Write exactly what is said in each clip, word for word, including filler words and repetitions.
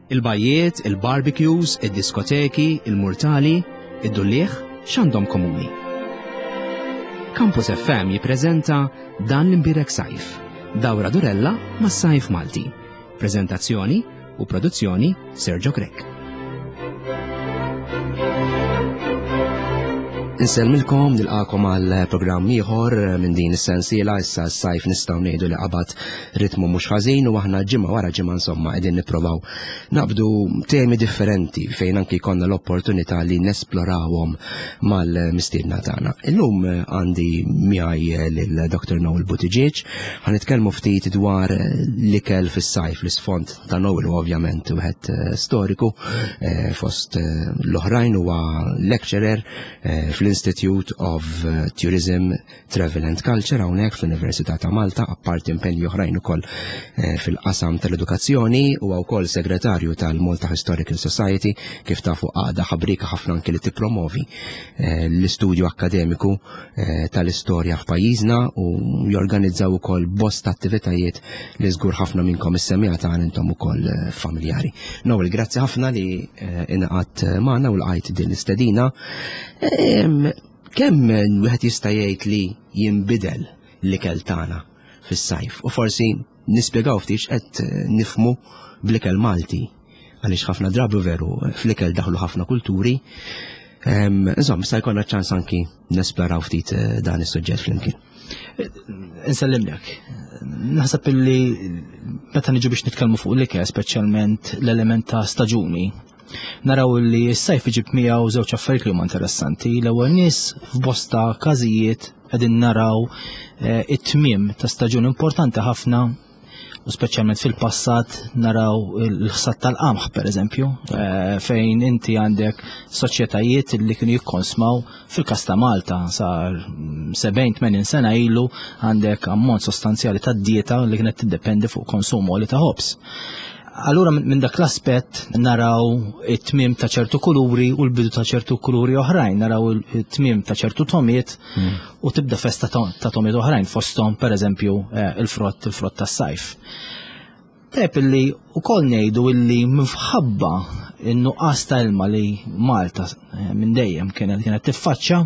Il-bajjiet, il-barbecues, id-diskoteki, il-murtali, id-dulliegħ, x'għandhom komuni? Campus F M jippreżenta Dan l-Imbierek Sajf, dawra durella mas-sajf Malti. Prezentazzjoni u produzzjoni, Sergio Grech. Insellmilkom, nilqakom għal programm ieħor minn din is-sensiela. Issa s-sajf nistgħu ngħidu li qabad ritmu mhux ħażin u aħna ġimgħa wara ġimgħa, insomma, qegħdin nipprovaw naqbdu temi differenti fejn anki jkollna l-opportunità li nesplorawhom mal-mistiedna tagħna. Illum għandi miegħi lil Doctor Noel Buttigieg, ħa nitkellmu ftit dwar l-ikel fis-sajf. L-isfond ta' Noel u ovvjament wieħed storiku, eh, fost l-oħrajn huwa lecturer eh, fl-Institute of Tourism, Travel and Culture hawnhekk fl-Università ta' Malta, apparti impenji oħrajn ukoll eh, fil-qasam tal-edukazzjoni, u wkoll segretarju tal-Malta Historical Society, kif tafu għaqda ħabrika ħafna anki li tippromovi eh, l-istudju akkademiku eh, tal-istorja f'pajjiżna u jorganizzaw ukoll bosta attivitajiet li żgur ħafna minnkom is-semmiegħa ta' intom ukoll familjari. Noel, grazzi ħafna li ingħaqadt magħna u lqajt din l-istedina. Kemm wieħed jista' jgħid li jinbidel l-ikel tagħna fis-sajf? U forsi nispjegaw ftit qed nifhmu bl-ikel Malti, għaliex ħafna drabi veru fl-ikel daħlu ħafna kulturi. Insomma, sa jkollna ċans anki nesploraw ftit eh, dan is-suġġett flimkien. Insellimlek. Naħseb illi meta niġu biex nitkellmu fuq l-ikel, speċjalment l-element ta' staġuni, naraw li s-sajf iġib miegħu żewġ affarijiet li huma interessanti. L-ewwel nies, f'bosta każijiet qegħdin naraw eh, it-tmiem ta' staġun importanti ħafna u speċjalment fil-passat naraw il-ħsad tal-qamħ, per eżempju, eh, fejn inti għandek soċjetajiet li kienu jikkonsmaw, fil-kas ta' Malta sar sebgħin tmenin sena ilu, għandek ammont sostanzjali ta' dieta li kienet tiddependi fuq konsum għoli ta' ħobż. Allura minn dak l-aspett naraw it-tmiem ta' ċertu kuluri u l-bidu ta' ċertu kuluri oħrajn, naraw it-tmiem ta' ċertu togħmiet mm. u tibda festa ta' togħmiet oħrajn, fosthom, per eżempju, eh, il-frott il-frott tas-sajf. Tajjeb illi ukoll ngħidu illi minħabba in-nuqqas ta' ilma li Malta eh, minn dejjem kienet kienet tiffaċċa,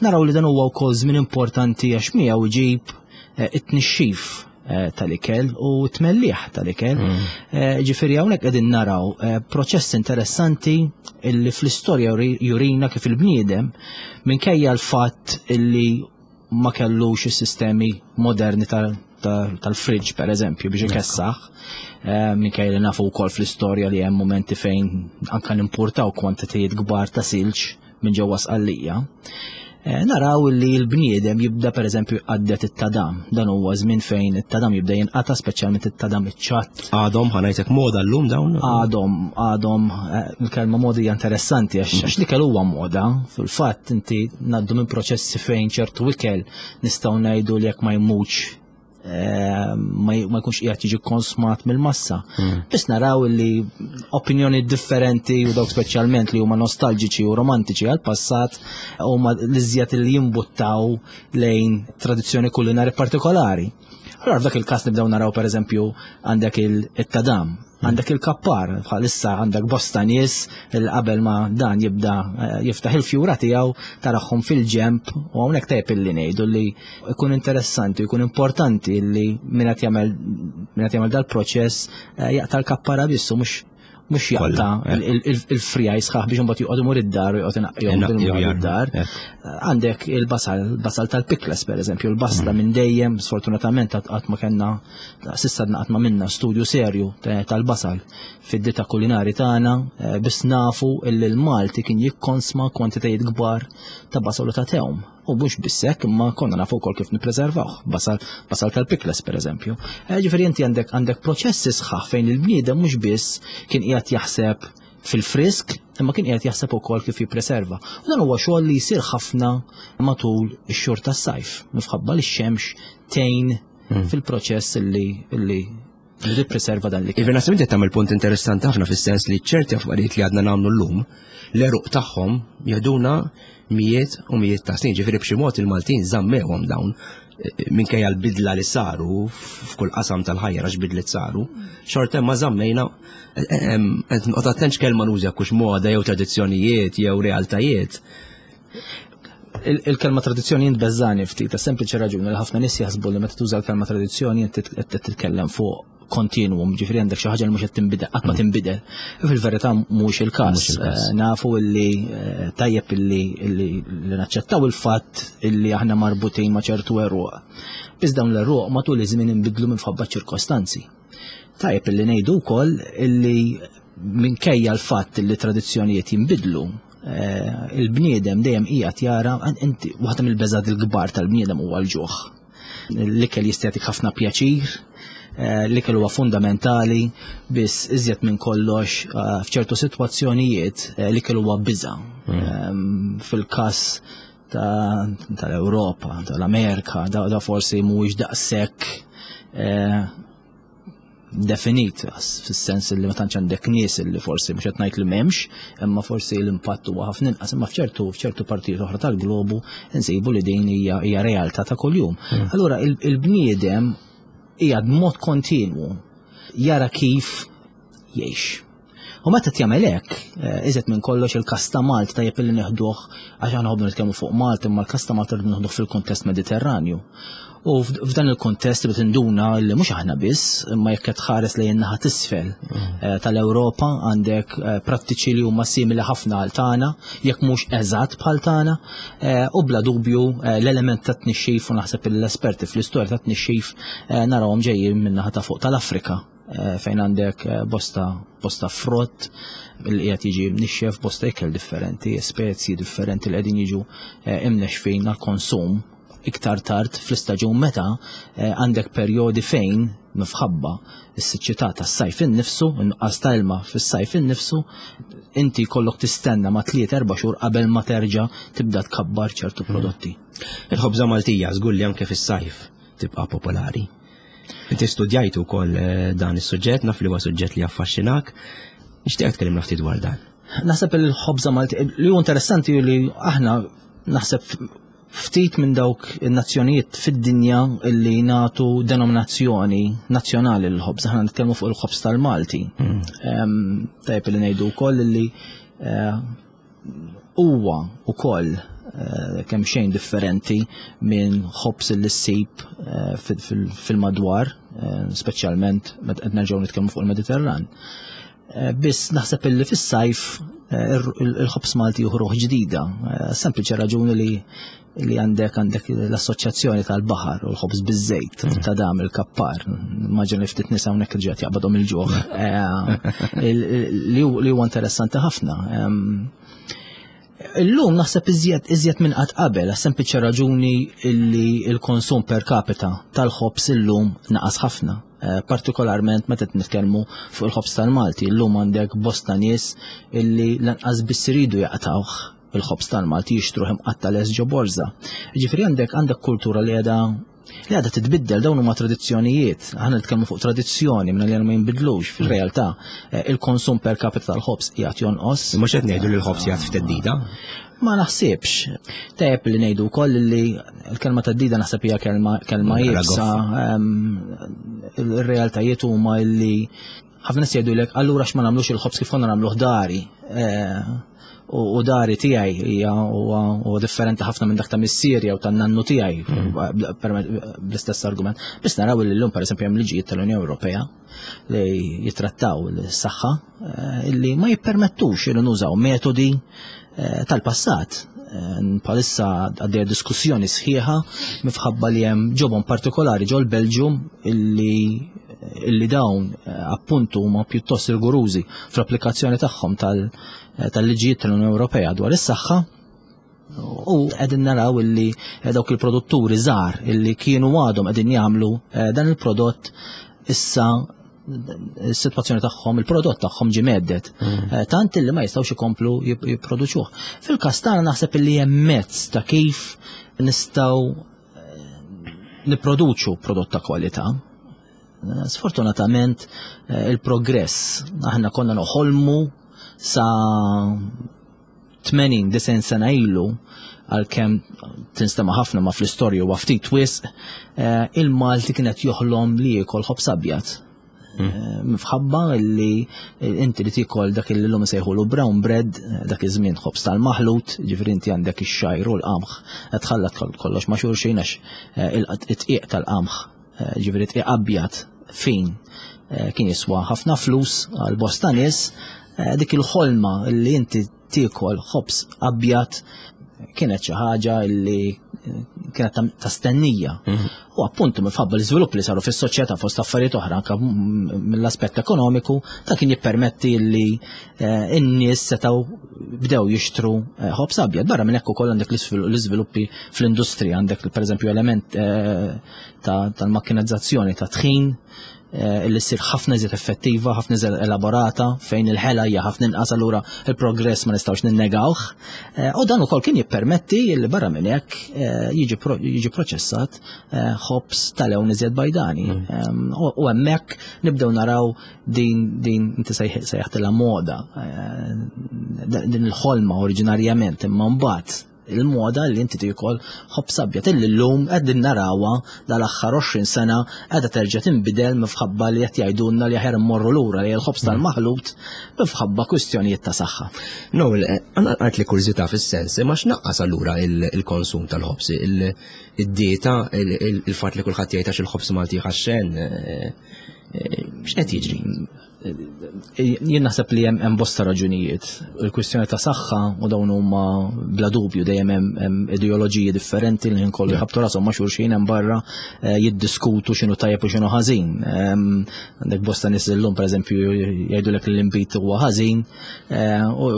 naraw li dan huwa wkoll żmien importanti għax miegħu iġib eh, it-tnixxif Eh, tal-ikel u tmelliħ tal-ikel. Mm. Eh, ġifieri hawnhekk qegħdin naraw eh, proċess interessanti illi fl-istorja jurina kif il-bniedem, minkejja l-fatt illi ma kellux is-sistemi moderni tal-fridge, per eżempju, biex ikessaħ, minkejja li nafu wkoll fl-istorja li hemm momenti fejn anka nimpurtaw kwantitajiet kbar ta' silġ minn ġewwa Sqallija. Eh, naraw li l-bniedem jibda, per eżempju, għaddet it-tadam. Dan huwa żmien fejn it-tadam jibda jinqata', speċjalment it-tadam iċ-ċatt. Għadhom, ħa ngħidlek, moda llum dawn? Għadhom, għadhom, eh, il-kelma moda hija interessanti għax għax l-ikel huwa moda. Fil-fatt inti ngħaddu minn proċessi fejn ċertu ikel nistgħu ngħidu li jekk ma jmutx eh, ma jkunx qiegħed jiġi konsmat mill-massa. Hmm. Biss naraw li opinjoni differenti u dawk speċjalment li huma nostalġiċi u romantiċi għal-passat huma l-iżjed li jimbuttaw lejn tradizzjoni kulinari partikolari. Allora f'dak il-każ nibdew naraw, pereżempju, għandek il-tadam, għandek il-kappar, bħalissa għandek bosta nies il qabel ma dan jibda eh, jiftaħ il-fjura tiegħu tarahom fil-ġemp. U hawnhekk tajjeb illi ngħidu li ikun interessanti, ikun importanti li min qed jagħmel min qed jagħmel dal-proċess eh, jaqta' l-kappara biss u mhux mhux jaqta' il-friegħi sħaħ biex imbagħad joqgħod imur id-dar u joqgħod inaqqihom id-dar. Għandek il-basal, basal tal-pikles, per eżempju, il-basla mm. minn dejjem, sfortunatament qatt ma kellna, s'issa qatt ma għamilna studju serju tal-basal fid-dieta kulinari tagħna, eh, biss nafu illi l-Malti kien jikkonsma kwantitajiet kbar ta' basal u ta' tewm. U mhux biss hekk, imma konna nafu wkoll kif nippreservawh. Basal, basal tal-pikles, per eżempju. Eh, ġifieri inti għandek għandek proċessi sħaħ fejn il-bniedem mhux biss kien qiegħed jaħseb fil-frisk, imma kien qiegħed jaħseb ukoll kif jippreserva. U dan huwa xogħol li jsir ħafna matul ix-xhur tas-sajf, minħabba li x-xemx tgħin hmm. fil-proċess illi illi li tippreserva dan li. Iva, naħseb inti tagħmel punt interessanti ħafna fis-sens li ċerti affarijiet li għadna nagħmlu llum, l-għeruq tagħhom jeħduna mijiet u mijiet ta' snin, ġifieri b'xi mod il-Maltin żammewhom dawn Minkejja l-bidla li saru f'kull qasam tal-ħajja għax bidliet saru, xorta ma żammejna qed noqgħod attent x'kelma nuża kux moda jew tradizzjonijiet jew realtajiet. Il-kelma tradizzjoni jintbeżani ftit, sempliċi raġuni li ħafna nies jaħsbu li meta tuża l-kelma tradizzjoni inti qed titkellem fuq kontinuum, ġifieri għandek xi ħaġa li mhux qed tinbidel, qatt ma tinbidel. Fil-verità mhux il-każ. Nafu li tajjeb illi li naċċettaw il-fatt illi aħna marbutin ma' ċertu għeruq. Biss dawn l-għeruq matul iż-żmien inbidlu minħabba ċirkostanzi. Tajjeb illi ngħidu wkoll illi minkejja l-fatt illi tradizzjonijiet jinbidlu, il-bniedem dejjem qiegħed jara inti waħda mill-beżgħat il-kbar tal-bniedem huwa l-ġuħ. L-ikel jista' jagħtik ħafna pjaċir, l-ikel huwa fundamentali, biss iżjed minn kollox f'ċertu sitwazzjonijiet l-ikel huwa biża'. Fil-każ tal-Ewropa, tal-Amerika, da forsi mhuwiex daqshekk definit, fis-sens li ma tantx għandek nies li forsi mhux qed ngħid li m'hemmx, imma forsi l-impatt huwa ħafna inqas, imma f'ċertu f'ċertu partijiet oħra tal-globu nsibu li din hija hija realtà ta' kuljum. Allura il-bniedem hija b'mod kontinwu jara kif jgħix. U meta jagħmel hekk, iżjed minn kollox il-każ ta' Malta tajjeb li neħduh għax aħna nħobbu nitkellmu fuq Malta, imma l-każ ta' Malta rridu neħduh fil-kuntest Mediterranju. U f'dan il-kontest li tinduna li mhux aħna biss, imma jekk qed tħares lejn naħa t'isfel tal-Ewropa għandek prattiċi li huma simili ħafna għal tagħna, jekk mhux eżatt bħal tagħna, u bla dubju l-element ta' tnixxif u naħseb l-esperti fl-istorja ta' tnixxif narawhom ġejjin minn naħa ta' fuq tal-Afrika, fejn għandek bosta bosta frott li qiegħed jiġi mnixxef, bosta ikel differenti, spezji differenti li qegħdin jiġu imnexfin għall-konsum iktar tard fl-istaġun meta għandek perjodi fejn minħabba s-siċċità tas-sajf innifsu, inqas ta' ilma fis-sajf innifsu, inti jkollok tistenna ma' tliet erba' xhur qabel ma terġa' tibda tkabbar ċertu prodotti. Il-ħobża Maltija żgur li anke fis-sajf tibqa' popolari. Inti studjajt ukoll dan is-suġġett, naf li huwa suġġett li affaxxinak. Nixtieq tkellimna ftit dwar dan. Naħseb il-ħobża Maltija li hu interessanti li aħna naħseb ftit minn dawk in-nazzjonijiet fid-dinja illi nagħtu denominazzjoni nazzjonali l-ħobż. Aħna nitkellmu fuq il-ħobż tal-Malti. Tajjeb li ngħidu wkoll illi huwa wkoll kemm xejn differenti minn ħobż li ssib fil-madwar, speċjalment meta qed nerġgħu nitkellmu fuq il-Mediterran. Biss naħseb illi fis-sajf il-ħobż Malti juħruħ ġdida, sempliċi raġuni li li għandek għandek l-assoċjazzjoni tal-baħar u l-ħobż biż-żejt ta' dam il-kappar. Immaġina li ftit nisa hawnhekk ġiet jaqbadhom il-ġuħ. Li huwa interessanti ħafna. Illum naħseb iżjed iżjed minn qatt qabel, sempliċi raġuni li l-konsum per capita tal-ħobż illum naqas ħafna. Partikolarment meta nitkellmu fuq il-ħobż tal-Malti, illum għandek bosta nies illi lanqas biss iridu jaqtawh il-ħobż tal-Malti, jixtruh imqatta' les ġo borża. Ġifieri għandek għandek kultura li qiegħda li għadha titbiddel, dawn huma tradizzjonijiet. Aħna nitkellmu fuq tradizzjoni minn li ma jinbidlux fil-realtà. Il-konsum per capita tal-ħobż qiegħed jonqos. Mhux qed ngħidu li l-ħobż qiegħed f'teddida? Ma naħsibx. Tajjeb li ngħidu wkoll li l-kelma teddida naħseb hija kelma kelma iebsa. Il-realtajiet huma li ħafna nies jgħidulek allura x'ma nagħmlux il-ħobż kif konna nagħmluh dari. U dari tiegħi hija huwa differenti ħafna minn dak ta' missieri jew tan-nannu tiegħi bl-istess argument. Biss naraw li llum pereżempju hemm liġijiet tal-Unjoni Ewropea li jitrattaw l-saħħa illi ma jippermettux li nużaw metodi tal-passat. Bħalissa għaddejja diskussjoni sħiħa minħabba li hemm ġobon partikolari ġol Belġium illi illi dawn appuntu huma pjuttost rigorużi fl-applikazzjoni tagħhom tal tal-liġijiet tal-Unjoni Ewropea dwar is-saħħa, u qegħdin naraw illi dawk il-produtturi żgħar illi kienu għadhom qegħdin jagħmlu dan il-prodott issa is-sitwazzjoni tagħhom, il-prodott tagħhom ġie meddet. Tant illi ma jistgħux ikomplu jipproduċuh. Fil-każ tagħna naħseb illi hemm mezz ta' kif nistgħu nipproduċu prodott ta' kwalità. Sfortunatament il-progress aħna konna noħolmu sa tmenin disgħin sena ilu, għalkemm tinstema' ħafna ma fl-istorja huwa ftit wisq, eh, il-Malti kienet joħlom li jiekol ħobż abjad. Eh, Minħabba li inti li tiekol dak li llum sejħulu brown bread, eh, dak iż-żmien ħobż tal-maħlut, ġifieri inti għandek ix-xgħir u l-qamħ, tħallat kollox ma' xulxin għax eh, il-tqiq tal-qamħ, eh, ġifieri tqiq abjad fin eh, kien jiswa ħafna flus għal bosta nies, eh, dik il-ħolma li inti tiekol ħobż abjad kienet xi ħaġa li kienet ta'- ta' stennija. U appuntu minħabba l-iżvilupp li saru fis-soċjetà fost affarijiet oħra anke mill-aspett ekonomiku, ta' kien jippermetti li eh, n-nies setgħu bdew jixtru eh, ħobż abjad. Barra minn hekk ukoll għandek l-iżvilu- l-iżviluppi fl-industrija, għandek pereżempju element eh, ta' tal-makkinizzazzjoni ta' tħin eh, li ssir ħafna iżjed effettiva, ħafna iżjed elaborata, fejn il-ħela hija ħafna inqas, allura il-progress ma nistgħux ninnegawh. Eh, U dan ukoll kien jippermetti li barra minn hekk eh, jiġi pro- jiġi proċessat eh, ħobż tal-lewn iżjed bajdani. Em, U u hemmhekk nibdew naraw din din inti sejħ- sejħtilha moda, eh, din il-ħolma oriġinarjament, imma mbagħad il-moda li inti tiekol ħobż abjad illi llum qegħdin narawha dal-aħħar għoxrin sena qiegħda terġa' tinbidel minħabba li qed jgħidulna li aħjar immorru lura li l-ħobż tal-maħlut minħabba kwistjonijiet ta' saħħa. No, għanna għart li kurżità fis-sens, ma x'naqqas allura il- il-konsum tal-ħobż, il- id-dieta, il- il- il-fatt li kulħadd jgħid għax il-ħobż Malti ħaxxen, eh, eh, x'qed jiġri? Jien naħseb li hemm hemm bosta raġunijiet. Il-kwistjoni ta' saħħa u dawn huma bla dubju dejjem hemm hemm ideoloġiji differenti li nkollu jħabtu rashom ma' xulxin hemm barra eh, jiddiskutu x'inhu tajjeb u x'inhu ħażin. Em, Għandek bosta nies illum, pereżempju, jgħidulek li l-inbid huwa ħażin eh, u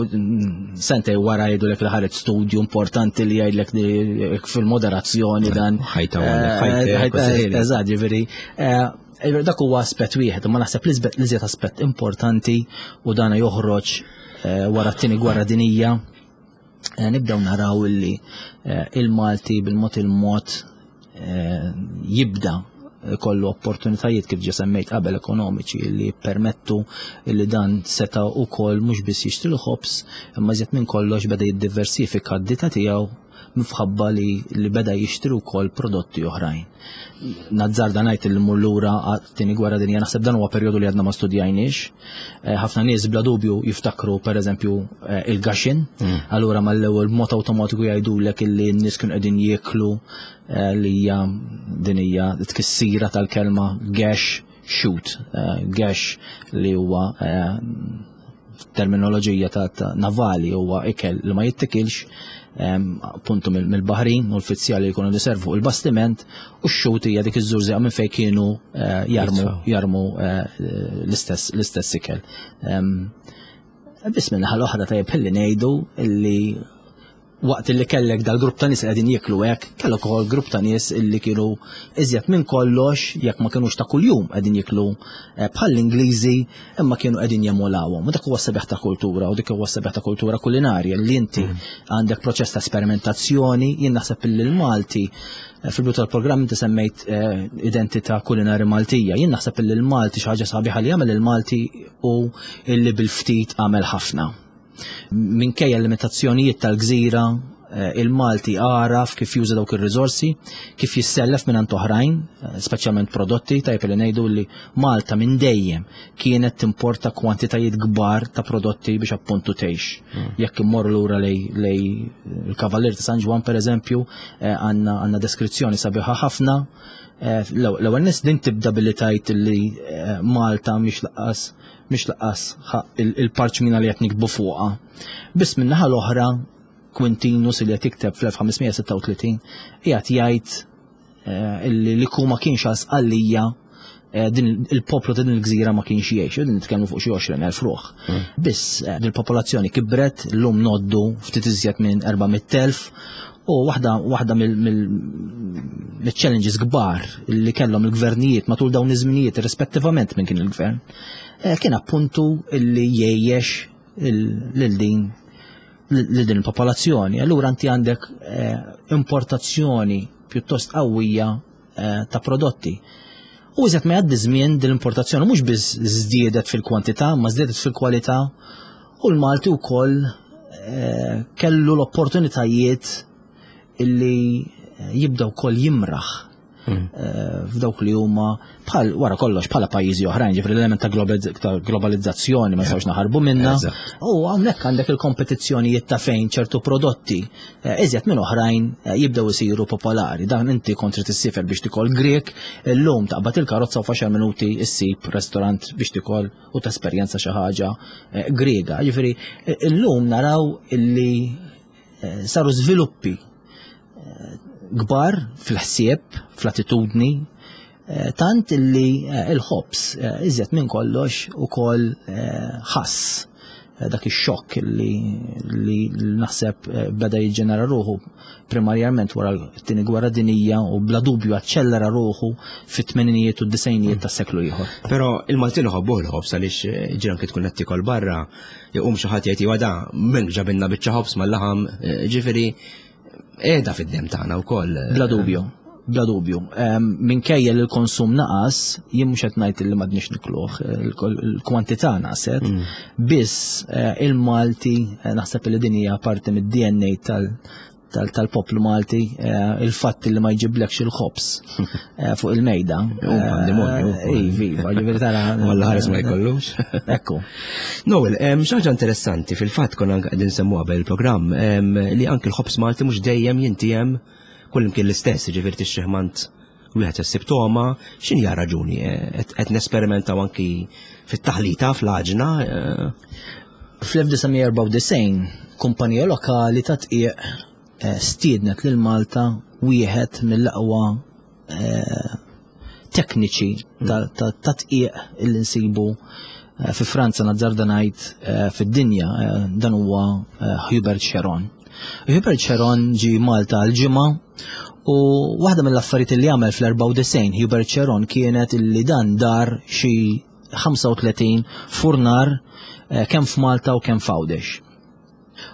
sentej wara jgħidulek li ħareġ studju importanti li jgħidlek li fil-moderazzjoni dan. Ħajta għandek, ħajtek, Eh, ħajta- u Eżatt, ġifieri. eh, Dak huwa aspett wieħed, imma naħseb li iżjed aspett importanti u dana joħroġ eh, wara t-tieni gwerra dinija, eh, nibdew naraw illi eh, il-Malti bil-mod il-mod eh, jibda kollu opportunitajiet, kif ġa semmejt qabel, ekonomiċi li permettu li dan seta ukoll mhux biss jixtri l-ħobż, imma iżjed minn kollox beda jiddiversifika d-dieta tiegħu minħabba li, li beda jixtri wkoll prodotti oħrajn. Nazzarda ngħid li mmur lura għat-tieni gwerra dinja, naħseb dan huwa perjodu li għadna ma studjajniex. Eh, Ħafna nies bla dubju jiftakru, pereżempju, eh, il-gaxin, allura mal-ewwel mod awtomatiku jgħidulek illi n-nies kienu qegħdin jieklu eh, li hija din hija tkissira tal-kelma gash shoot, eh, gash li huwa eh, terminoloġija ta', ta navali, huwa ikel li ma jittikilx em, appuntu mill- mill-baħrin u l-uffiċjali li jkunu jiservu il-bastiment, u x-shoot hija dik iż-żurżieqa minn fejn kienu eh, jarmu Jitfaw. jarmu eh, l-istess l-istess ikel. Em, Biss minn naħa l-oħra tajjeb ħilli ngħidu illi waqt illi kellek dal-grupp ta' nies li qegħdin jieklu hekk, kellek ukoll grupp ta' nies illi kienu iżjed minn kollox, jekk ma kinux ta' kuljum qegħdin jieklu eh, bħall-Ingliżi, imma kienu qegħdin jemulawhom. U dak huwa sabiħ ta' kultura u dik huwa sabiħ ta' kultura kulinarja li inti għandek proċess ta' sperimentazzjoni. Jien naħseb illi l-Malti eh, fil-bidu tal-programm inti semmejt eh, identità kulinari Maltija. Jien naħseb illi l-Malti, xi ħaġa sabiħa li jagħmel il-Malti u illi bil-ftit għamel ħafna. Minkejja l-limitazzjonijiet tal-gżira, eh, il-Malti għaraf kif juża dawk ir-riżorsi, kif jissellef minn oħrajn, eh, speċjalment prodotti. Tajjeb li ngħidu li Malta minn dejjem kienet timporta kwantitajiet kbar ta' prodotti biex appuntu tgħix. Jekk immorru lura lej lej il-Kavallier ta' San Ġwann, pereżempju, eh, għandna għandna deskrizzjoni sabiħa ħafna. Eh, L-ewwel nies din tibda billi tgħid li eh, Malta mhix lanqas mhix lanqas il-parċmina li qed nikbu fuqha. Biss min-naħa l-oħra Quintinus li qed jikteb fl-elf ħames mija sitta u tletin qiegħed jgħid eh, illi li ma kienx għal Sqallija, eh, din il-poplu ta' din il-gżira ma kienx jgħix, u din nitkellmu fuq xi għoxrin elf ruħ. Biss eh, din il-popolazzjoni kibret, llum ngħoddu ftit iżjed minn erba' mitt elf, u waħda waħda mill-challenges kbar li kellhom il-gvernijiet matul dawn iż-żminijiet, rispettivament minn kien il-gvern, eh, kien appuntu illi jgħejjex lil din lil din il-popolazzjoni. Allura inti għandek eh, importazzjoni pjuttost qawwija eh, ta' prodotti. U iżjed ma jgħaddi żmien, din l-importazzjoni mhux biss żdiedet fil-kwantità, ma żdiedet fil-kwalità, u l-Malti wkoll kellu l-opportunitajiet illi jibda wkoll jimraħ f'dawk li huma bħal wara kollox bħala pajjiżi oħrajn, ġifieri l-element ta' globalizzazzjoni ma nistgħux naħarbu minnha. U hawnhekk għandek il-kompetizzjonijiet ta' fejn ċertu prodotti iżjed minn oħrajn jibdew isiru popolari. Dan inti kont trid issifer biex tikol Grek, illum taqbad il-karozza u f'għaxar minuti issib restorant biex tikol u tesperjenza xi ħaġa Griega. Ġifieri illum naraw illi saru żviluppi kbar fil-ħsieb, fl-attitudni, tant illi il-ħobż iżjed minn kollox ukoll ħass dak ix-xokk li naħseb beda jiġġenera ruħu primarjament wara t-tieni gwerra dinija u bla dubju aċċellera ruħu fit-tmeninijiet u d-disgħinijiet tas-seklu ieħor. Però il-Maltin iħobbu l-ħobż għaliex ġiran kif tkun qed tikol barra jqum xi ħadd jgħid wada minn ġabilna biċċa ħobż mal-laħam, ġifieri qiegħda fid-dem tagħna wkoll. Bla dubju, bla dubju. Minkejja li l-konsum naqas, jien mhux qed ngħid li m'għadniex nikluh, il-kwantità naqset, biss il-Malti naħseb li din hija parti mid-D N A tal-poplu Malti, il-fatt li ma jġiblekx il-ħobż fuq il-mejda. Pandemonju. Iva, iva, ġifieri tara. Walla ħares ma jkollux. Ekku. Noel, xi ħaġa interessanti fil-fatt konna anke qegħdin nsemmuha qabel il-programm, li anke l-ħobż Malti mhux dejjem jintijem kullimkien l-istess, ġifieri tixtrih mant wieħed issib togħma, x'inhi raġuni? Qed nesperimentaw anki fit-taħlita fl-għaġna. Fl-elf disa' mija erbgħa u disgħin kumpanija lokali ta' tqiegħ stiednet lil Malta wieħed mill-aqwa tekniċi ta' tqiegħ illi nsibu fi Franza, nazzarda ngħid fid-dinja, dan huwa Hubert Cheron. Hubert Cheron ġie Malta għal ġimgħa u waħda mill-affarijiet li għamel fl-erbgħa u disgħin Hubert Cheron kienet illi dan dar xi ħamsa u tletin furnar kemm f'Malta u kemm f'Għawdex.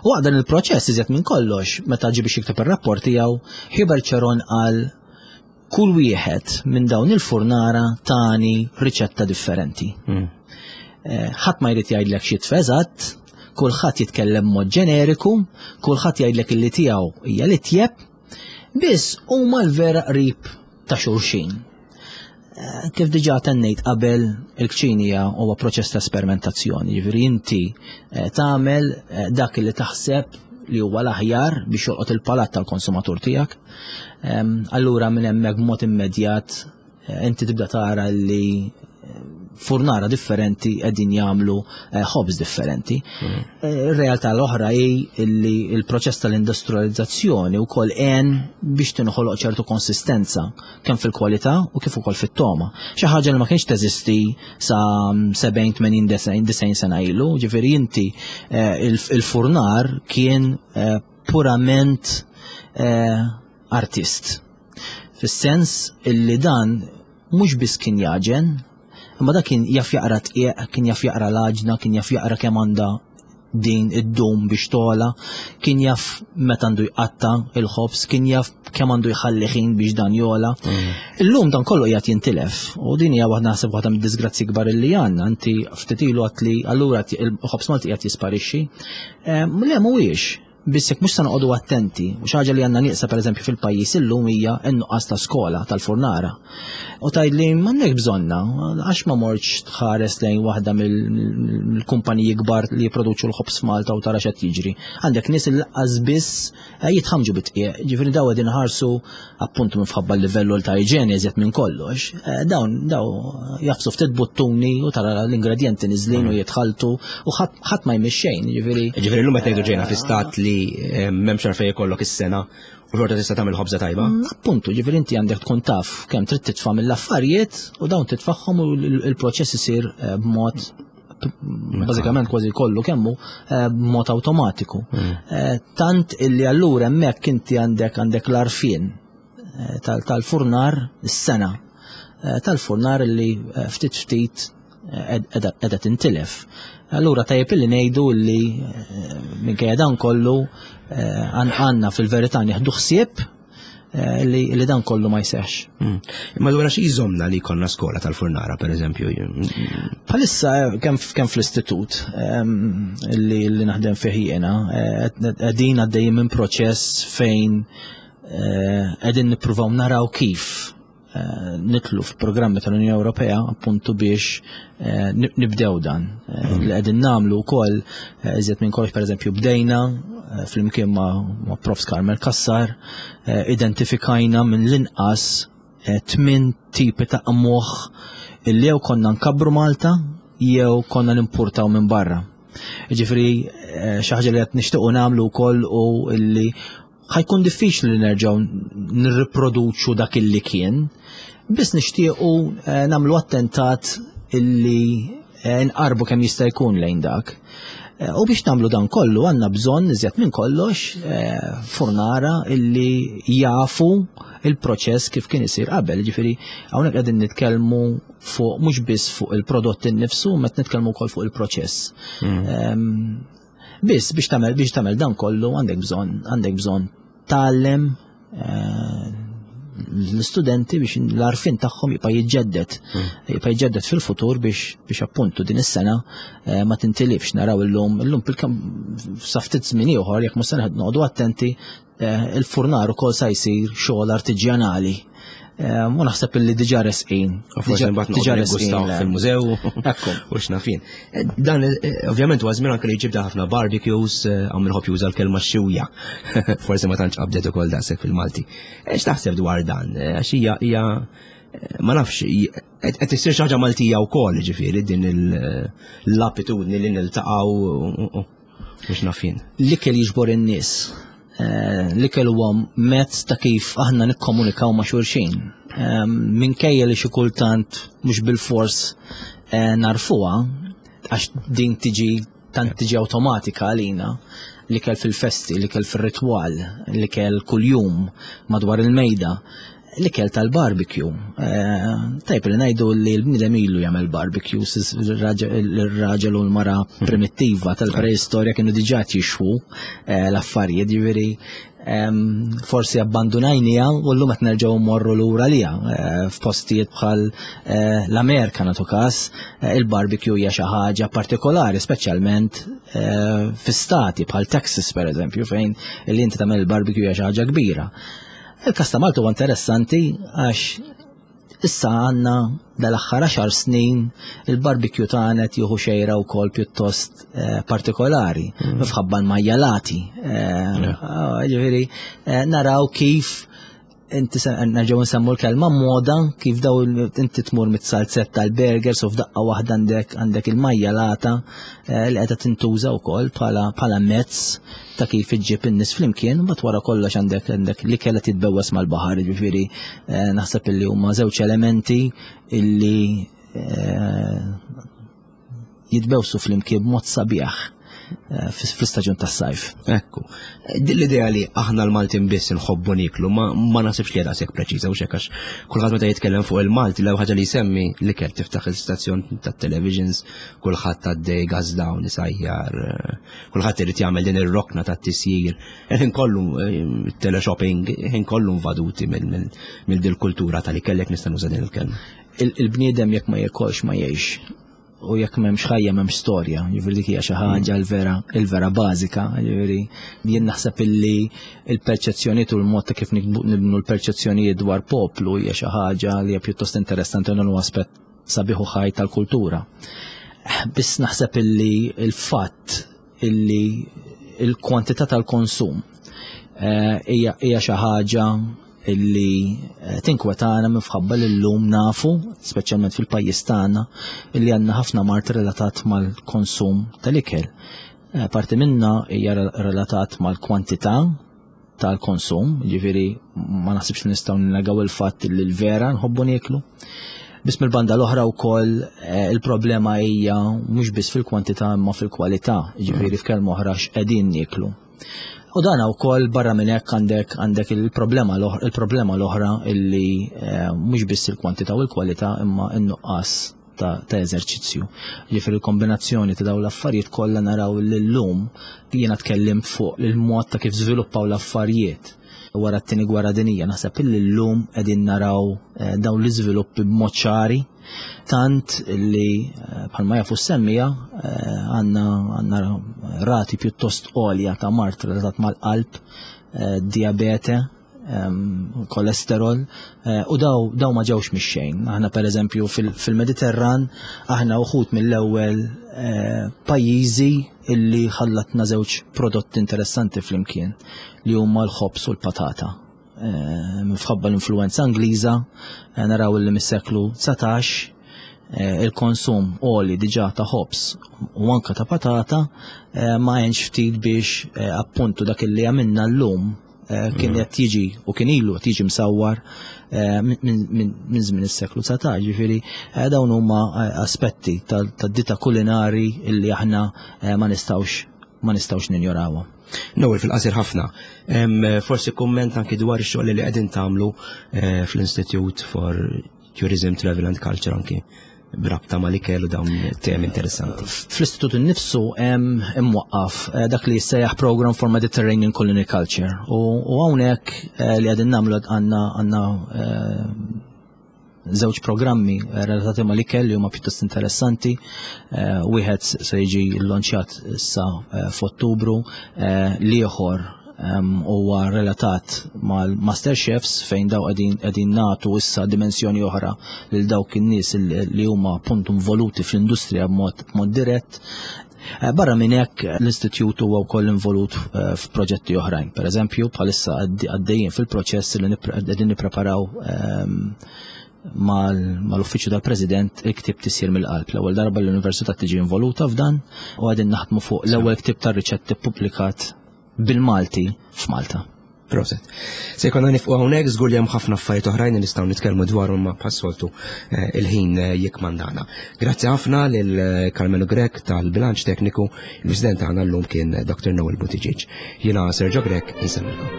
U waqt dan il-proċess iżjed minn kollox, meta ġie biex jikteb ir-rapport tiegħu, Hubert Cheron qal kull wieħed minn dawn il-furnara tani riċetta differenti. Ħadd ma jrid jgħidlek xi tfeżat, kulħadd jitkellem mod ġeneriku, kulħadd jgħidlek illi tiegħu hija li tjeb, biss huma l-vera qrib ta' xulxin. Kif diġà tennejt qabel, il-kċinija huwa proċess ta' esperimentazzjoni, jiġifieri inti tagħmel dak li taħseb li huwa l-aħjar biex jolqot il-palat tal-konsumatur tiegħek. Allura minn hemmhekk b'mod immedjat inti tibda tara li furnara differenti qegħdin jagħmlu ħobż differenti. Ir-realtà l-oħra hi li l-proċess tal-industrializzazzjoni wkoll għen biex tinħoloq ċertu konsistenza kemm fil-kwalità u kif ukoll fit-toma. Xi ħaġa li ma kienx teżisti sa sebgħin, tmenin, disgħin sena ilu, ġifieri inti il-furnar kien purament artist. Fis-sens illi dan mhux biss kien jaġen, imma dak kien jaf jaqra tqiegħ, kien jaf jaqra l-għaġna, kien jaf jaqra kemm għandha din id-dum biex tola, kien jaf meta għandu jqatta il-ħobż, kien jaf kemm għandu jħalli ħin biex dan jola. Illum dan kollu qiegħed jintilef u din hija waħda naħseb waħda mid-disgrazzi kbar illi għandna. Inti ftit ilu għedt li allura il-ħobż Malti qiegħed jisparixxi. Le mhuwiex. Biss jekk mhux se noqogħdu attenti, u xi ħaġa li għandna nieqsa pereżempju fil-pajjiż illum hija n-nuqqas ta' skola tal-furnara. U tgħidli m'għandek bżonna, għax ma mortx tħares lejn waħda mill-kumpaniji kbar li jipproduċu l-ħobż f'Malta u tara x'qed jiġri. Għandek nies li laqqas biss jitħamġu bit-tqiegħ, ġifieri daw qegħdin iħarsu appuntu minħabba l-livell ta' iġene iżjed minn kollox. Dawn daw jafsu ftit buttuni u tara l-ingredjenti niżlin u jitħaltu u ħadd ma jmix xejn, ġifieri. Ġifieri llum qed ngħidu ġejna fi stat li m'hemmx għalfejn jkollok is-sena u xorta tista' tagħmel ħobża tajba. Appuntu, ġifieri inti għandek tkun taf kemm trid titfa' mill-affarijiet u dawn titfagħhom u l-proċess isir b'mod bażikament kważi kollu kemmu b'mod awtomatiku. Tant illi allura hemmhekk inti għandek għandek l-arfien tal-furnar is-sena tal-furnar illi ftit ftit qiegħda tintilef. Allura tajjeb illi ngħidu li minkejja dan kollu għandna fil-verità nieħdu ħsieb eh, li, li dan kollu ma jseħx. Mm. Imma allura xi jżommna li jkollna skola tal-furnara, per eżempju? Bħalissa kemm kemm fl-istitut ehm, li, li naħdem fih jiena, eh, qegħdin għaddejjin minn proċess fejn eh, qegħdin nippruvaw naraw kif eh, nidħlu f'programmi tal-Unjoni Ewropea appuntu biex eh, nib- nibdew dan. Eh, Li qegħdin nagħmlu wkoll eh, iżjed minn kollox, pereżempju, bdejna eh, flimkien ma' ma' Profs Carmel Cassar, eh, identifikajna minn l-inqas eh, tmien tipi ta' qmuħ illi jew konna nkabbru Malta jew konna nimpurtaw minn barra. Ġifieri eh, xi ħaġa li qed nixtiequ nagħmlu wkoll u illi ħa jkun diffiċli li nerġgħu nirriproduċu dak illi kien, biss nixtiequ eh, nagħmlu attentat illi eh, nqarbu kemm jista' jkun lejn dak. Eh, U biex nagħmlu dan kollu għandna bżonn, iżjed minn kollox, eh, furnara illi jafu il-proċess kif kien isir qabel. Ġifieri hawnhekk qegħdin nitkellmu fuq mhux biss fuq il-prodott innifsu, met nitkellmu wkoll fuq il-proċess. Ehm, Biss biex tagħmel biex tagħmel dan kollu għandek bżonn għandek bżonn tgħallem eh, l-istudenti biex l-għarfien tagħhom jibqa' jiġġedded. Jibqa' jiġġedded fil-futur biex biex appuntu din is-sena eh, ma tintilifx. Naraw illum illum bil-kemm sa ftit żmien ieħor, jekk mhux se noqogħdu attenti, eh, il-furnar ukoll sa jsir xogħol artiġjanali. Eh, U naħseb illi diġà resqin. U forsi Diġà- mbagħad diġà noqogħdu resqin, niggustaw le. fil-mużew. Ekku. U x'naf jien. Eh, Dan eh, ovvjament huwa żmien anke li jġibda ħafna barbecues, eh, hawn min iħobb juża l-kelma xewja. Forsi ma tantx qabdet ukoll daqshekk fil-Malti. Eh, X'taħseb dwar dan? Eh, Għax hija hija eh, ma nafx, qed qed issir xi ħaġa Maltija wkoll, ġifieri din il- l-appitudni li niltaqgħu u x'naf jien. L-ikel jiġbor in-nies. Eh, L-ikel huwa mezz ta' kif aħna nikkomunikaw ma' xulxin. Eh, Minkejja li xi kultant mhux bil-fors eh, narfuha, għax din tiġi tant tiġi awtomatika għalina, l-ikel fil-festi, l-ikel fil-ritwal, l-ikel kuljum madwar il-mejda, l-ikel tal-barbecue. Eh, Tajb li ngħidu li l-bniedem ilu jagħmel barbecue, il-raġel u l-mara primittiva tal-preistorja kienu diġà jixwu eh, l-affarijiet, ġifieri em, forsi abbandunajnieha u llum qed nerġgħu mmorru lura liha eh, f'postijiet bħal eh, l-Amerika, nagħtu każ, eh, il-barbecue hija xi ħaġa partikolari, speċjalment eh, fi stati bħal Texas, pereżempju, fejn li inti tagħmel il-barbecue hija xi ħaġa kbira. Il-każ ta' Malta huwa interessanti għax issa għandna dal-aħħar għaxar snin il-barbecue tagħna qed jieħu xejra wkoll pjuttost eh, partikolari, minħabba l-majjalati. Eh, ah, Ġifieri eh, naraw kif inti se- nerġgħu nsemmu l-kelma moda, kif daw il- inti tmur mit-salzetta tal-burgers u f'daqqa waħda għandek għandek il-majjalata eh, li qiegħda tintuża wkoll bħala bħala mezz ta' kif iġġib in-nies flimkien, mbagħad wara kollox għandek għandek li kellha titbewwes mal-baħar, ġifieri eh, naħseb illi huma żewġ elementi illi eh, jitbewsu flimkien b'mod sabiħ eh, fl-istaġun tas-sajf. Ekku. Din l-idea li aħna l-Maltin biss nħobbu niklu, ma, ma naħsibx li daqshekk preċiża u xek, għax kulħadd meta jitkellem fuq il-Malti l ħaġa li jsemmi l-ikel. Tiftaħ il-stazzjon tat-televisions, kulħadd għaddej gas down isajjar, eh, kulħadd irid jagħmel din ir-rokna tat-tisjir. Ħin kollu eh, teleshopping, ħin kollu invaduti mill dil kultura tal-ikel, nista' nuża din il-kelma. Il- Il-bniedem jekk ma jikolx ma jgħix. U jekk m'hemmx ħajja m'hemmx storja, ġifieri dik hija xi ħaġa l-vera il-vera bażika, ġifieri jien naħseb illi il-perċezzjonijiet u l-mod ta' kif nikbu- nibnu l-perċezzjonijiet dwar poplu hija xi ħaġa li hija pjuttost interessanti u dan huwa aspett sabiħ u ħaj tal-kultura. Biss naħseb illi il-fatt illi il-kwantità tal-konsum eh, hija hija xi ħaġa illi eh, tinkwetana minħabba li llum nafu, speċjalment fil-pajjiż tagħna, illi għandna ħafna mard relatat mal-konsum tal-ikel. Eh, Parti minna hija relatat mal-kwantità tal-konsum, ġifieri ma naħsibx li nistgħu ninnegaw il-fatt li l-vera nħobbu nieklu. Biss mill-banda l-oħra wkoll eh, il-problema hija mhux biss fil-kwantità imma fil-kwalità, ġifieri f'kelma oħra x'qegħdin nieklu. U dan wkoll barra minn hekk għandek għandek il-problema l-oħra il-problema l-oħra illi eh, mhux biss il-kwantità u l-kwalità imma n-nuqqas ta', ta' eżerċizzju. Ġifieri il-kombinazzjoni ta' dawn l-affarijiet kollha naraw li llum jiena tkellimt fuq il-mod ta' kif żviluppaw l-affarijiet. Wara t-tieni gwerra dinija naħseb illi llum qegħdin naraw eh, dawn l-iżviluppi b'mod ċari tant li eh, bħalma jafu s-semmija eh, għandna għandna rati pjuttost għolja ta' mard relatat mal-qalb, diabete, kolesterol u daw, daw ma ġewx mix-xejn. Aħna pereżempju fil-Mediterran aħna uħud mill-ewwel pajjiżi illi ħallatna żewġ prodotti interessanti flimkien li huma l-ħobż u l-patata. Minħabba l-influenza Ingliża naraw li mis-seklu dsatax il-konsum għoli diġà ta' ħobż u anka ta' patata ma għenx ftit biex appuntu dak illi għamilna llum kien qed jiġi u kien ilu qed jiġi msawwar minn żmien is-seklu dsatax. Ġifieri dawn huma aspetti tad-dita kulinari illi aħna ma nistgħux ma nistgħux ninjorawhom. Noel, fil-qasir ħafna, forsi kumment anki dwar ix-xogħol li qegħdin tagħmlu fl-Institute for Tourism, Travel and Culture anki brabta ma' l-ikel u dawn temi interessanti. Fl-istitut innifsu hemm imwaqqaf dak li jissejjaħ Program for Mediterranean Culinary Culture u hawnhekk li qegħdin nagħmlu għandna għandna żewġ programmi relatati ma' l-ikel li huma pjuttost interessanti. Wieħed se jiġi llonċjat issa f'Ottubru, l-ieħor huwa relatat mal-Master Chefs fejn daw qegħdin nagħtu issa dimensjoni oħra lil dawk in-nies li huma appuntu involuti fl-industrija b'mod dirett. Barra minn hekk l-istitut huwa wkoll involut f'proġetti oħrajn. Per eżempju, bħalissa għaddejjin fil-proċess li qegħdin nippreparaw mal-uffiċċju tal-President il-ktieb Tisjir mill-Qalb. L-ewwel darba l-Università tiġi involuta f'dan u qegħdin naħdmu fuq l-ewwel ktieb tar-riċetti ppubblikat bil-Malti f'Malta. Proset. Se jkollna nifqu hawnhekk, żgur li hemm ħafna affarijiet oħrajn li nistgħu nitkellmu dwarhom ma bħas-soltu il-ħin jikmandana. Grazzi ħafna lil Carmelo Grech tal-bilanċ tekniku, il-President tagħna llum kien Doctor Noel Buttigieg. Jiena Sergio Grech, insemmilkom.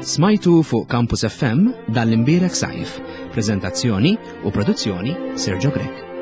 Smajtu fuq Campus F M dan l-imbierek sajf. Prezentazzjoni u produzzjoni Sergio Grech.